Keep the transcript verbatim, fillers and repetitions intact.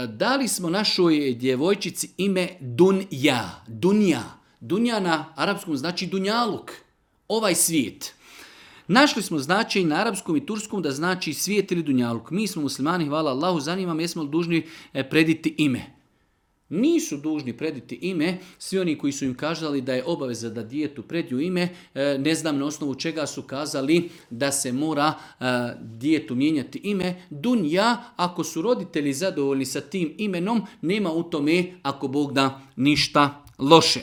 dali smo našoj djevojčici ime Dunja. Dunja. Dunja na arapskom znači dunjaluk. Ovaj svijet. Našli smo značaj na arapskom i turskom da znači svijet ili dunjaluk. Mi smo muslimani, hvala Allahu, zanima me jesmo li dužni prediti ime. Nisu dužni prediti ime, svi oni koji su im kazali da je obaveza da djetetu prediju ime, ne znam na osnovu čega su kazali da se mora djetetu mijenjati ime. Dunja, ako su roditelji zadovoljni sa tim imenom, nema u tome, ako Bog da, ništa loše.